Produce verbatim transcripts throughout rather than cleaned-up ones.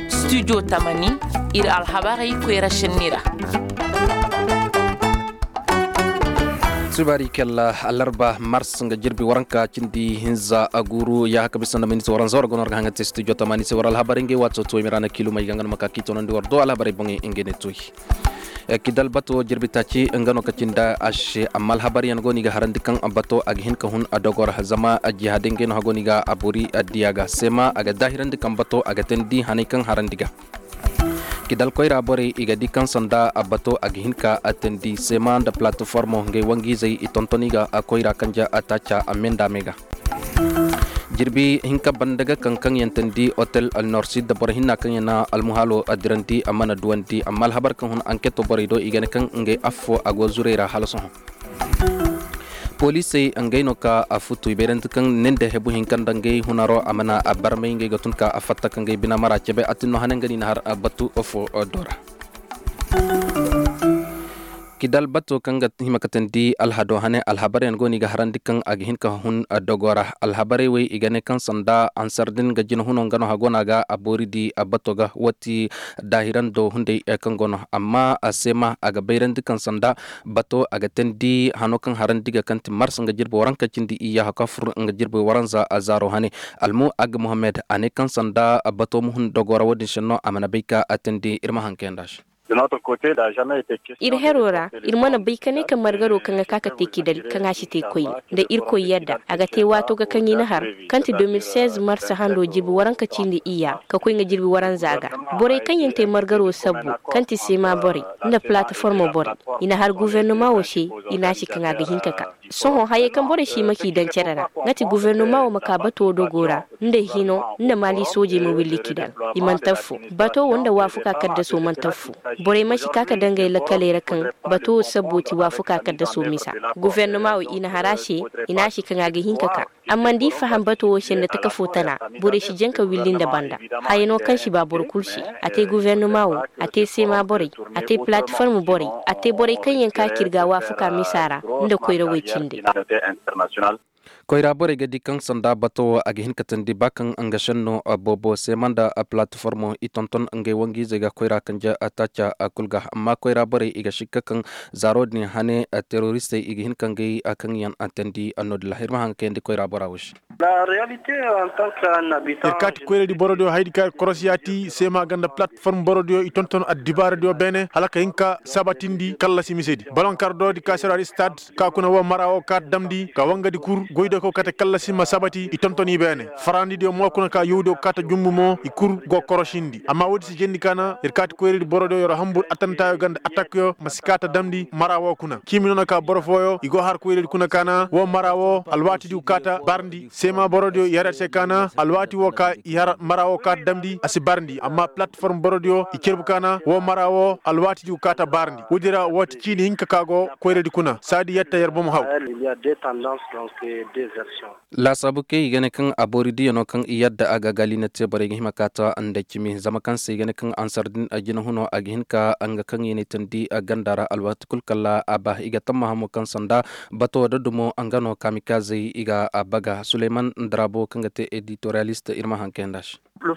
Studio tamani, ir alhabarey koyra šenni ra. Subaari kella alarba mars nga jirbi waranka cindi hinza a guuru ya haka bisa nda miniti waranza war gono war ga haŋa te studio tamani se war alhabarey ngey waato tuway miraana kiilumey ga nga no ma ka kiitonandi war do alhabarey boŋey ngey ne tuway. Kidal bato jirbi taaci nga no ka cindi a se amma alhabaryaŋ go no i ga harandi kaŋ bato a ga hin ka hun a dogor zama a jihaadi ngey no hago no i ga a bori a diya ga seema a ga daahirandi kaŋ bato a ga teendi haney kaŋ harandi ga. Kidal koyra borey i ga di kaŋ sanda a bato a ga hin ka a teendi seema nda palatiformo ngey wangiizey i tonton i ga a koyra kanja a taaca a meendaamey ga. Jirbi hinka banda ga kaŋ kaŋ yaŋ teendi otel alnorsid boro hinna kaŋ yaŋ na almuhaalo a dirandi a mana duwandi amma alhabar kaŋ hun anketo borey do i ga ne kaŋ ngey affo a go zurey ra hala sohõ. Poliisey ngey no ka a futu i bayrandi kaŋ ne nda hebu hinka nda ngey hunaro a mana a barmay ngey ga tun ka a fatta ka ngey bina mara cebe a tin no hane nga no i na har a batu fo do ra. Kidal bato kaŋ ga hima ka teendi alhado hane alhabaryaŋ go no i ga harandi kaŋ a ga hin ka hun dogo ra alhabarey wey i ga ne kaŋ sanda ansar din ga jina huno nga no hago no a ga a boori di a bato ga wati daahirando hunday kaŋ go no amma a seema a ga bayrandi kaŋ sanda bato a ga teendi hano kaŋ harandi ga kaŋ ti mars nga jirbi waranka cindi iyya haka fur nga jirbi waranza a zaaro hane. Almu ag mohammed a ne kaŋ sanda bato ma hun dogo ra wo-din se no a mana bay ka a teendi ir ma haŋ kayanda se. Ir hero ra ir mana bay ka ne ka margaro kaŋ ga ka ka te kidali kaŋ a si te koyne nda irkoy yadda a ga te waato ga kaŋ i na har kaŋ ti deux mille seize marsa hando jirbi waranka cindi iyya ka koy nga jirbi waranza ga. Borey kaŋ yaŋ te margaro sabbu kaŋ ti seema borey nda palataformo borey i na har guvernoma wo se i na a ci kaŋ a ga hin ka ka sohõ hayey kaŋ borey si ma k'i daŋ cere ra nga ti guvernoma wo ma ka bato dogo ra nda hino nda maali soojey ma willi kidal. I mana taffo bato wo nda waafuka kaddaso mana taffo. Borey mana si ka ka daŋ ngey lakkaley ra kaŋ bato wo sabbo ti waafuka kaddaso misa. Guvernoma wo i na har a se i na a si kaŋ a ga hin ka ka amma nda i faham bato wo se nda taka fo tana borey si jaŋ ka willi nda banda. Hayano kaŋ si ba boro kul se a te guvernoma wo a te seema borey a te palatiform borey a te borey kaŋ yaŋ ka kirga waafuka misa ra nda koyrawey cindey. Koyra borey ga di kaŋ sanda bato wo a ga hin ka teendi ba kaŋ nga senno boobo seema nda palatiformo i tonton ngey wangu-izey ga koyra kanje taaca kul ga amma koyra borey i ga sikka kaŋ zaaro din hane teroristey i ga hin ka ngey kaŋ yaŋ teendi no-din ra ir ma haŋ ga kayandi koyra bora wo se. Ir kaati koyradi borodiyo hayadi ka ir korosiya ti seema ganda palatiform borodiyo i tonton addibaaradiyo beene hala ka hin ka sabatindi kallasi misedi balonkar doodi ka sero ar istad ka kuna wo mara wo kaata damndi ka wangadi kur goydokow kate kallasi ma sabati i tontoni beene farandidiyo mo kuna ka yowdiyo kaata jumbu mo i kur go korosindi amma woodi si jendi kaana ir kaati koyradi borodiyo yer hambur atantaayo ganda atakyo ma si kaata damndi mara wo kuna ciimi noona ka boro fooyo i go har koyradi kuna kaana wo mara wo alwaatidiyo kaata barndi seema borodiyo i har yer se kaana alwaati wo ka i har mara wo kaata damndi a si barndi amma palatiform borodiyo i cerbu kaana wo mara wo alwaatidiyo kaata barndi woodi ra wo ti ciini hinka ka go koyradi kuna saadi yetta yer bomo haw. Laasaabu kay i ga ne kaŋ a boori diyano kaŋ i yadda a ga gaali na te borey ga hima ka ta nda cimi zama kaŋ se i ga ne kaŋ ansar din a jina huno a ga hin ka nga kaŋ i ne tandi a ganda ra alwaati kul kala a ba i ga tamma hamo kaŋ sanda bato da dumo nga no kamikazey i ga a baga suleyman darabo kaŋ ga te editoriyalist ir ma haŋ kayanda se. Wo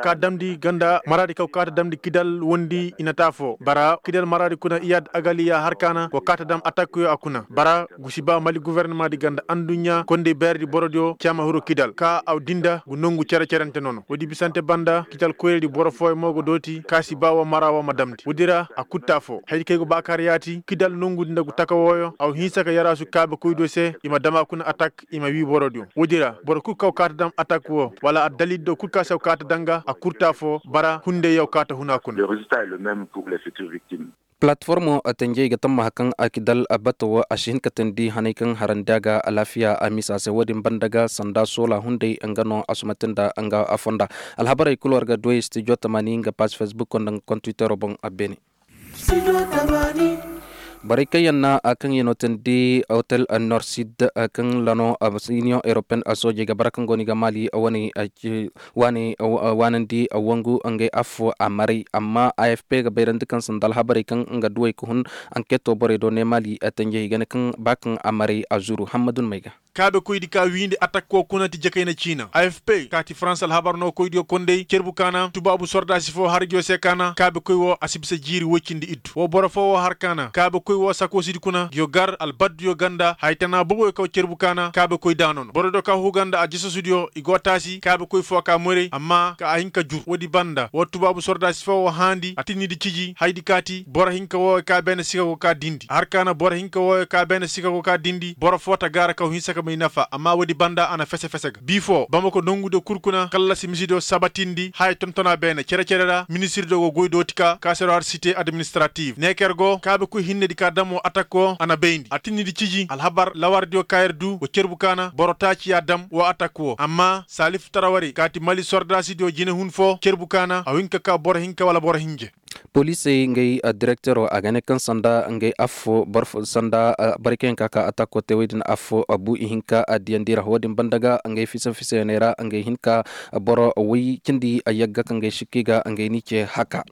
ka damndi ganda maraadi kaw kaata damndi kidal wondi i na taafo bara kidal maraadi kuna iyad agaliya har kaana wo kaata dam atakkuyo a kuna bara gusi ba mali guvernamaadi ganda anduɲɲa kondey beeredi borodiyo caama hiro kidal ka aw dinda gu nongu cere-cerente nono woodi bisante banda kidal koyredi boro fooyo mo go dooti kaasi ba wo mara wo ma damndi woodi ra a kul taafo haydi kay go baakaar yaati kidal nongudi nda gu taka wooyo aw hinsa ka yaraasu kaabe koydiyo se i ma dam a kuna atak i ma wii borodiyo woodi ra boro kul kaw kaata dam atak woo wala addalil do kul ka se aw kaata danga a kurta foo bara hunday yaw kaata huna kuna. Palatiformo tenjey ga tammaha kaŋ a kidal bato woo a si hin ka teendi hanay kaŋ harandi a ga alaafiya a misa se woo din banda ga sanda soola hunday nga no a sumante nda nga fonda. Alhabarey kul war ga duwey stijo tamani nga paas fesbukoo nda nga kontwitero boŋ a beene. Borey kaŋ yaŋ na kaŋ yaŋ no tandi hotel norsid kaŋ lano, union europeen soojey ga bara kaŋ go no i ga maali wane waanandi wangu ngey affo a maray amma afp ga bayrandi kaŋ sanda alhabarey kaŋ nga duwey ga hun anketo borey do ne maali tanjey i ga ne kaŋ ba kaŋ a maray a zuru hammadun may ga. Kaabekoydi ka wiindi atak wo kuna ti jakayna ciina afp ka ti farans alhabar no koydiyo kondey cerbu kaana tubaabu sordaasi fo harjo se kaana kaabekoy wo a si bisa jiiri woy cindi iddu wo boro fo wo har kaana kaabekoy wo sakoosidi kuna nguyo gar albadduyo ganda haya tana boboyo kaw cerbu kaana kaabekoy daanono borodiyo ka huu ganda a jasasudiyo i go taasi kaabekoy fo ka morey amma ka a hin ka jur woodi banda wo tubaabu sordaasi fo wo haandi a tinnidi ciji hayadi ka ti boro hinka wooyo ka beene sika go ka dindi har kaana boro hinka wooyo ka beene sika go ka dindi boro fo ta gaara kaw hinsa ka may nafa amma woodi banda a na fese-fese ga bii fo bamako nongudiyo kul kuna kallasi misidiyo sabatindi haya tontona beene cere-cere ra ministirdiyo go goy dooti ka kaaseroo har site administratif neeker go kaabekoy hinnedi ka dam woo atak woo a na bayndi a tinnidi ciji alhabar lawardiyo ka yer duu wa cerbu kaana boro taaci y'a dam woo atak woo amma saalif tarawarey kaati mali sordaasidiyo jinehun foo cerbu kaana a hin ka kaa boro hinka wala boro hinje. Poliisey ngey direkteroo a ga ne kaŋ sanda ngey affoo boro foo sanda borey kaŋ yaŋ ka kaa atakoo te wey din affoo buu ihinka diyandi ra woo din banda ga ngey fisa-fisayaney ra ngey hin ka boro woy cindi yagga ka ngey sikki ga ngey n'i cee haka.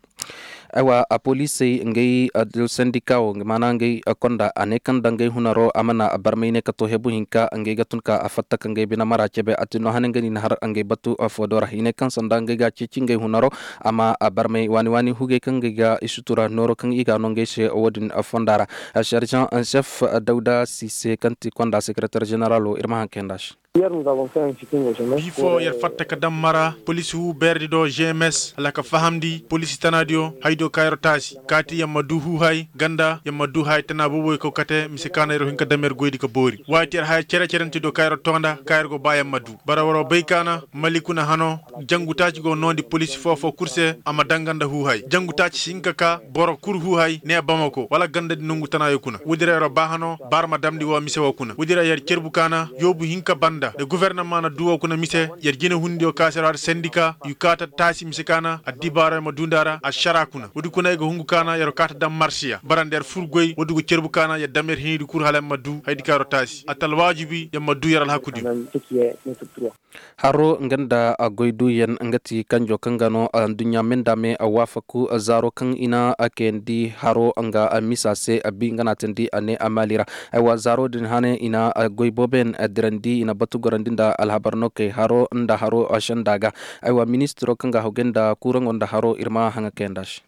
Aywa poliisey ngey sendika woo maana ngey konda a ne kaŋ nda ngey hunaroo a mana barmay ne ka too hebu hinka ngey ga tun ka a fatta ka ngey bine mara cebe a ti no hane nga ni na har ngey batu foodoo ra i ne kaŋ sanda ngey ga a ceeci ngey hunaroo a ma barmay waani-waani hugey kaŋ ngey ga i sutura nooroo kaŋ i ga a no ngey se woo din fonda ra. Sergent en chef dawda sise kaŋ ti konda sekereter ženeraloo ir ma haŋ kayandi a se. Bii foo yer fatta ka daŋ mara poliisi huu beeredi do gms hala ka fahamndi poliisi tanaadiyo hayadiyo ka yer taasi kaati yer ma duu huuhay ganda yer ma duu haya tana booboyo kaw kate mise ka na yer hin ka daŋ yer goydi ka boori waati yer haya cere-cerentidiyo ka yer too nda ka yer go ba yer ma duu bara waroo bay ka na mali kuna hanoo jangu taaci go noondi poliisi foo-foo kul se a ma daŋ ganda huuhay jangu taaci si hin ka kaa boro kul huuhay ne bamako wala gandadi nongu tanaayo kuna woodi ra yeroo baa hanoo baara ma damndi woo mise woo kuna woodi ra yer cerbu ka na yoobu hinka banda nda gofornama na duu woo kuna mise yer jinehundiyo ka se ra har sendika yu kaata taasi mise ka na addibaaroo yer ma duu nda a ra ašaraa kuna woodi kuna yer ga hungu ka na yeroo kaata daŋ marsiya bara nda yer fur goy woodi go cerbu ka na yer dam yer hinidi kul hala yer ma duu hayadi ka yeroo taasi a ta alwaajibi yer ma duu yer alhakudiyo. Haroo nga nda goyduuyaŋ nga ti kanjoo kaŋ ga no adduɲɲa me nda me waafaku zaaroo kaŋ i na kayandi haroo nga misa se bi nga na a teendi a ne a maali ra. Aywa zaaroo din hane i na goy booboyaŋ dirandi i na batu gorandi nda alhabar nookey haroo nda haroo senda ga. Aywa ministiroo kaŋ ga a hogay nda kuuraŋo nda haroo ir ma haŋa kayandi a se.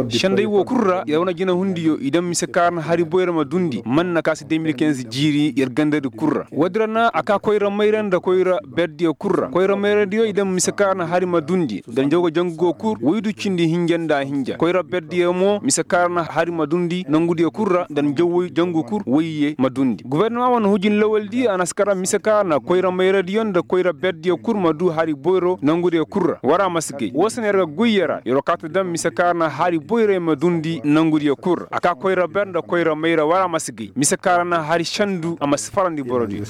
Senday woo kul ra yer wane jinehundiyo i daŋ mise kaŋ a ra na hari boyra ma duundi man na ka se de mil kinze jiiri yer gandadi kul ra woodi ra na a ka koyra mayra nda koyra berdiyo kul ra koyra mayradiyo i daŋ mise kaŋ a ra na hari ma duundi nda njaw ga jangu go kul woy du cindi hinja nda hinja koyra berdiyo mo mise kaŋ a ra na hari ma duundi nangudiyo kul ra nda njaw woy jangu kul woyye ma duundi gofornama wane hujin lawaldi a na si kar mise kaŋ a ra na koyra mayradiyo nda koyra berdiyo kul ma duu hari boyro nangudiyo kul ra war a ma si gay woo se no yer ga goy yer ra yeroo kaati daŋ mise kaŋ a ra na hari boyray ma duundi nangudiyo kul ra a ka koyra ber nda koyra mayra war a ma si gay mise kaŋ a ra na hari sendu a ma si farandi borodiyo.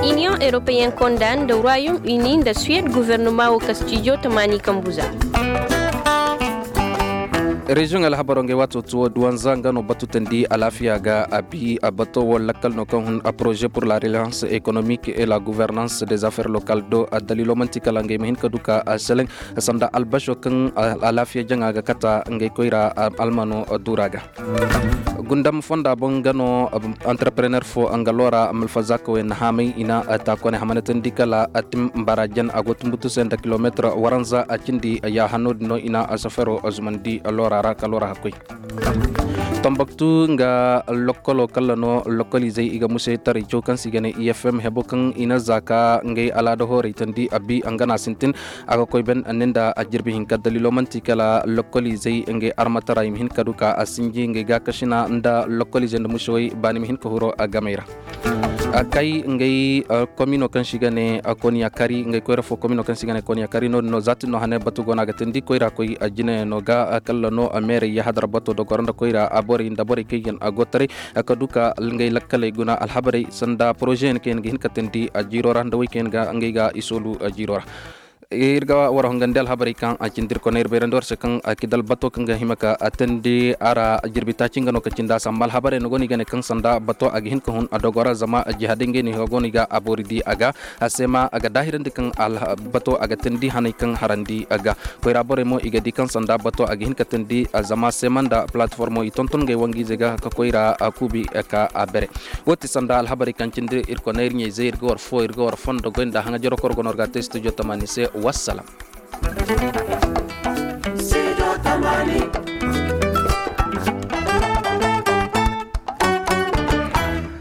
Iniyoŋ europeyen konda nda royaume uni nda suwed gofornoma woo kastijo tamaani kambu za. Reziyoŋ alhabaroo ngey waatoo tuwo duwanza nga no batu teendi alaafiya ga a bi a bato woo lakkal no kaŋ hun a poroze pur la reliyans ekonomik e la guvernans de zafeer lokal do a daliiloo man'ti kala ngey ma hin ka du ka a seleŋ sanda albasoo kaŋ alaafiya jaŋa ga kata ngey koyra almano duura ga. Gundam fonda boŋ nga no antarprener fo nga loora malfazaakawey na haamay i na taakone hamanatandi kala atim mbara jan a go tumbutu se nda kilometir waranza a cindi yaaha no- din no i na safero zumandi loora ra ka loora hakkoy. Tambaktu nga lokkolo kalla no lokkoliizey i ga musay taray caw kaŋ se i ga ne i f m hebo kaŋ i na za ka ngey alaada hooray tandi a bi nga na sintin a ga koy ben ninda a jirbi hinka daliilo manti kala lokkoliizey ngey armatara i ma hin ka du ka a sinji ngey gaakasina nda lokkoliizey nda musawey baani ma hin ka huro a gamey ra. Kay ngey komino kaŋ se i ga ne koniya kari ngey koyra fo komino kaŋ se i ga ne koniya kari no- din no za tin no hane batu go no a ga tindi koyra koy a jine no ga kalla no meerey yahadar bato do goro nda koyra a borey nda borey kaŋ i ga a go taray ka du ka ngey lakkaley guna alhabarey sanda poroze yaŋ kaŋ yaŋ ga hin ka tindi a jiiro ra nda wey kaŋ yaŋ ga ngey ga i soolu a jiiro ra. Ir ga war hongandi alhabarey kaŋ a cindi ir koney ir bayrandi war se kaŋ a kidal bato kaŋ ga hima ka a teendi a ra jirbi taaci nga no ka cindi a samba alhabarey no go no i ga ne kaŋ sanda bato a ga hin ka hun a dogo ra zama jihaadey ngey no i ga go no i ga a boori di a ga a se ma a ga daahirandi kaŋ bato a ga teendi haney kaŋ harandi a ga koyra borey mo i ga di kaŋ sanda bato a ga hin ka teendi a zama se ma nda palatiformo i tonton ngey wangu-izey ga ka koyra a kuubi ka a bere. Wo ti sanda alhabarey kaŋ cindi ir koney ir ɲayzey ir ga war fo ir ga war fondo goy nda haŋa jaro koro go no ir ga a te studio tamaani se. Wassalam. Studio tamaani.